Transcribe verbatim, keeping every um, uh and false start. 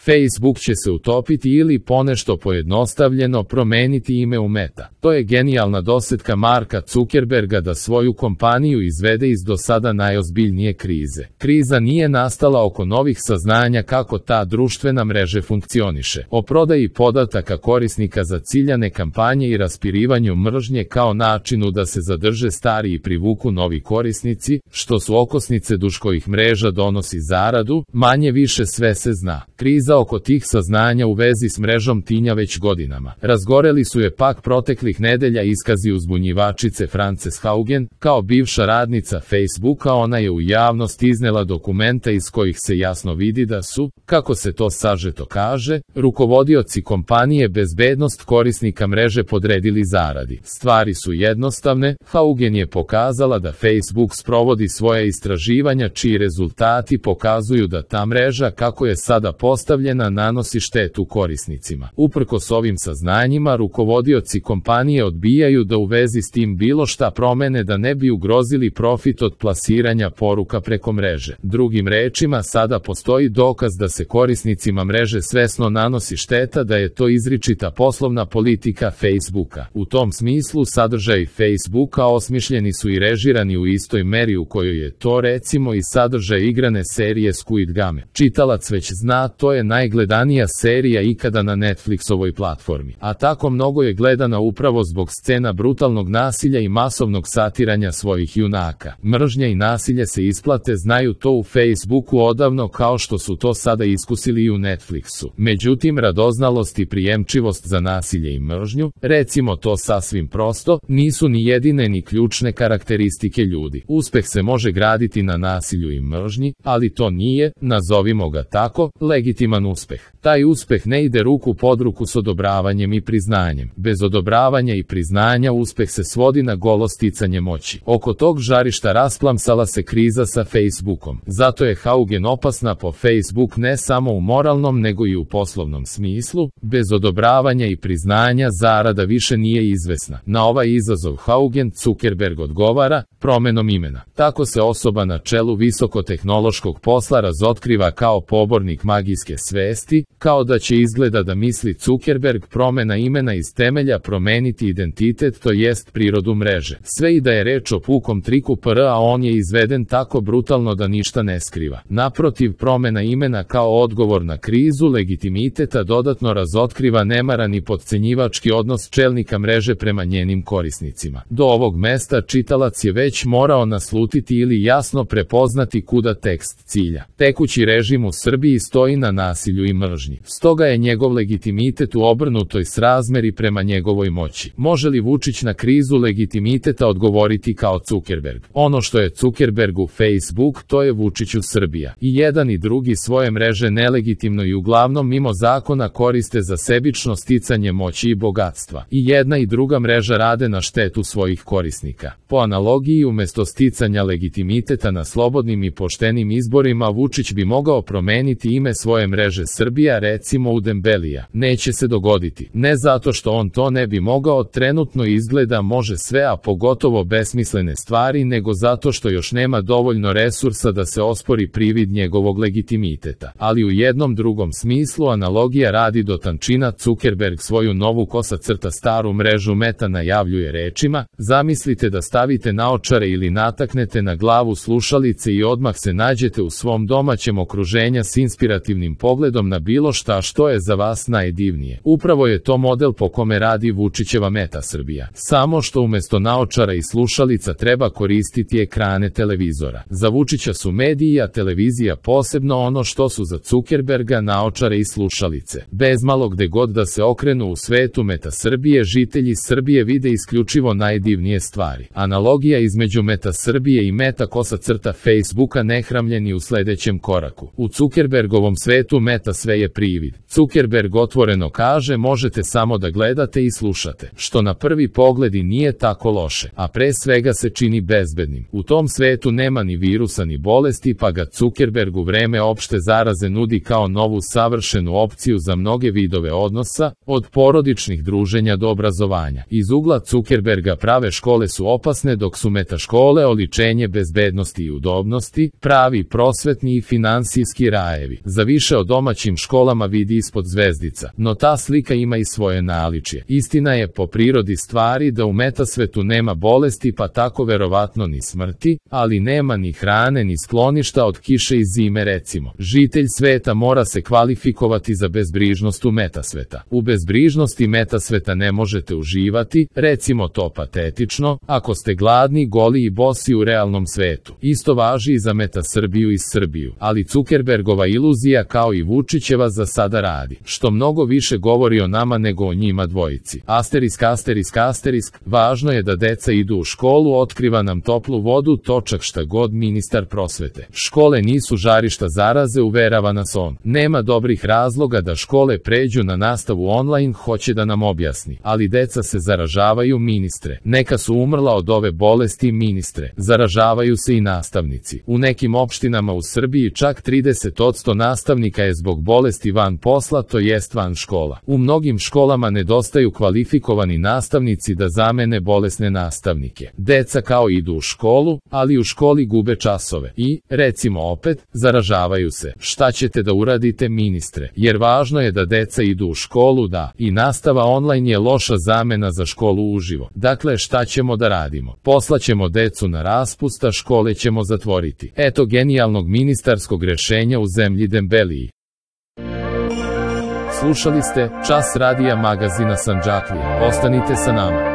Facebook će se utopiti ili ponešto pojednostavljeno promeniti ime u Meta. To je genijalna dosetka Marka Zuckerberga da svoju kompaniju izvede iz do sada najozbiljnije krize. Kriza nije nastala oko novih saznanja kako ta društvena mreže funkcioniše, o prodaji podataka korisnika za ciljane kampanje i raspirivanju mržnje kao načinu da se zadrže stari i privuku novi korisnici, što su okosnice duž kojih mreža donosi zaradu, manje više sve se zna. Kriza oko tih saznanja u vezi s mrežom tinja već godinama. Razgoreli su je pak proteklih nedelja iskazi uzbunjivačice Frances Haugen. Kao bivša radnica Facebooka ona je u javnost iznela dokumenta iz kojih se jasno vidi da su, kako se to sažeto kaže, rukovodioci kompanije bezbednost korisnika mreže podredili zaradi. Stvari su jednostavne, Haugen je pokazala da Facebook sprovodi svoje istraživanja čiji rezultati pokazuju da ta mreža kako je sada postavljena nanosi štetu korisnicima. Uprkos ovim saznanjima rukovodioci kompanije odbijaju da u vezi s tim bilo šta promene da ne bi ugrozili profit od plasiranja poruka preko mreže. Drugim rečima, sada postoji dokaz da se korisnicima mreže svesno nanosi šteta, da je to izričita poslovna politika Facebooka. U tom smislu sadržaji Facebooka osmišljeni su i režirani u istoj meri u kojoj je to recimo i sadržaj igrane serije Squid Game. Čitalac već zna, to je najgledanija serija ikada na Netflixovoj platformi. A tako mnogo je gledana upravo zbog scena brutalnog nasilja i masovnog satiranja svojih junaka. Mržnja i nasilje se isplate, znaju to u Facebooku odavno kao što su to sada iskusili i u Netflixu. Međutim, radoznalost i prijemčivost za nasilje i mržnju, recimo to sasvim prosto, nisu ni jedine ni ključne karakteristike ljudi. Uspeh se može graditi na nasilju i mržnji, ali to nije, nazovimo ga tako, legitiman uspeh. Taj uspeh ne ide ruku pod ruku s odobravanjem i priznanjem. Bez odobravanja i priznanja uspeh se svodi na golo sticanje moći. Oko tog žarišta rasplamsala se kriza sa Facebookom. Zato je Haugen opasna po Facebook ne samo u moralnom nego i u poslovnom smislu. Bez odobravanja i priznanja zarada više nije izvesna. Na ovaj izazov Haugen Zuckerberg odgovara promenom imena. Tako se osoba na čelu visokotehnološkog posla razotkriva kao pobornik magijske svesti, kao da će izgleda da misli Zuckerberg promena imena iz temelja promeniti identitet, to jest prirodu mreže. Sve i da je reč o pukom triku P R, a on je izveden tako brutalno da ništa ne skriva. Naprotiv, promena imena kao odgovor na krizu legitimiteta dodatno razotkriva nemaran i potcenjivački odnos čelnika mreže prema njenim korisnicima. Do ovog mesta čitalac je već morao naslutiti ili jasno prepoznati kuda tekst cilja. Tekući režim u Srbiji stoji na nasilju i mržnji. Stoga je njegov legitimitet u obrnutoj srazmeri prema njegovoj moći. Može li Vučić na krizu legitimiteta odgovoriti kao Zuckerberg? Ono što je Zuckerbergu Facebook, to je Vučiću Srbija. I jedan i drugi svoje mreže nelegitimno i uglavnom mimo zakona koriste za sebično sticanje moći i bogatstva. I jedna i druga mreža rade na štetu svojih korisnika. Po analogiji, umesto sticanja legitimiteta na slobodnim i poštenim izborima, Vučić bi mogao promeniti ime svoje mreže Srbija, recimo u Dembelija. Neće se dogoditi. Ne zato što on to ne bi mogao, trenutno izgleda može sve, a pogotovo besmislene stvari, nego zato što još nema dovoljno resursa da se ospori privid njegovog legitimiteta. Ali u jednom drugom smislu analogija radi do tančina. Zuckerberg svoju novu kosa crta staru mrežu Meta najavljuje rečima: zamislite da stavite naočare ili nataknete na glavu slušalice i odmah se nađete u svom domaćem okruženju s inspirativnim pogledom na bilo šta što je za vas najdivnije. Upravo je to model po kome radi Vučićeva Meta Srbija. Samo što umesto naočara i slušalica treba koristiti ekrane televizora. Za Vučića su mediji, a televizija posebno ono što su za Zuckerberga naočare i slušalice. Bez malo gde god da se okrenu u svetu Meta Srbije, žitelji Srbije vide isključivo najdivnije stvari. Analogija između Meta Srbije i Meta kosa crta Facebooka nehramljeni u sledećem koraku. U Zuckerbergovom svetu Meta sve je privid. Zuckerberg otvoreno kaže: možete samo da gledate i slušate, što na prvi pogled i nije tako loše, a pre svega se čini bezbednim. U tom svetu nema ni virusa ni bolesti, pa ga Zuckerberg u vreme opšte zaraze nudi kao novu savršenu opciju za mnoge vidove odnosa, od porodičnih druženja do obrazovanja. Iz ugla Zuckerberga prave škole su opasne, dok su Meta škole oličenje bezbednosti i udobnosti, pravi prosvetni i finansijski rajevi. Za više od domaćim školama vidi ispod zvezdica, no ta slika ima i svoje naličje. Istina je po prirodi stvari da u metasvetu nema bolesti pa tako verovatno ni smrti, ali nema ni hrane ni skloništa od kiše i zime recimo. Žitelj sveta mora se kvalifikovati za bezbrižnost u metasveta. U bezbrižnosti metasveta ne možete uživati, recimo to patetično, ako ste gladni, goli i bosi u realnom svetu. Isto važi i za Meta Srbiju i Srbiju, ali Zuckerbergova iluzija kao i Vučićeva za sada radi, što mnogo više govori o nama nego o njima dvojici. Asterisk, asterisk, asterisk, važno je da deca idu u školu, otkriva nam toplu vodu, točak šta god ministar prosvete. Škole nisu žarišta zaraze, uverava nas on. Nema dobrih razloga da škole pređu na nastavu online, hoće da nam objasni. Ali deca se zaražavaju, ministre. Neka su umrla od ove bolesti, ministre. Zaražavaju se i nastavnici. U nekim opštinama u Srbiji čak trideset posto nastavnika je zbog bolesti van posla, to jest van škola. U mnogim školama nedostaju kvalifikovani nastavnici da zamene bolesne nastavnike. Deca kao idu u školu, ali u školi gube časove i, recimo opet, zaražavaju se. Šta ćete da uradite, ministre? Jer važno je da deca idu u školu, da, i nastava online je loša zamena za školu uživo. Dakle, šta ćemo da radimo? Poslaćemo decu na raspust, a škole ćemo zatvoriti. Eto genijalnog ministarskog rešenja u zemlji Dembeliji. Slušali ste Čas radija magazina Sandžaklija. Ostanite sa nama.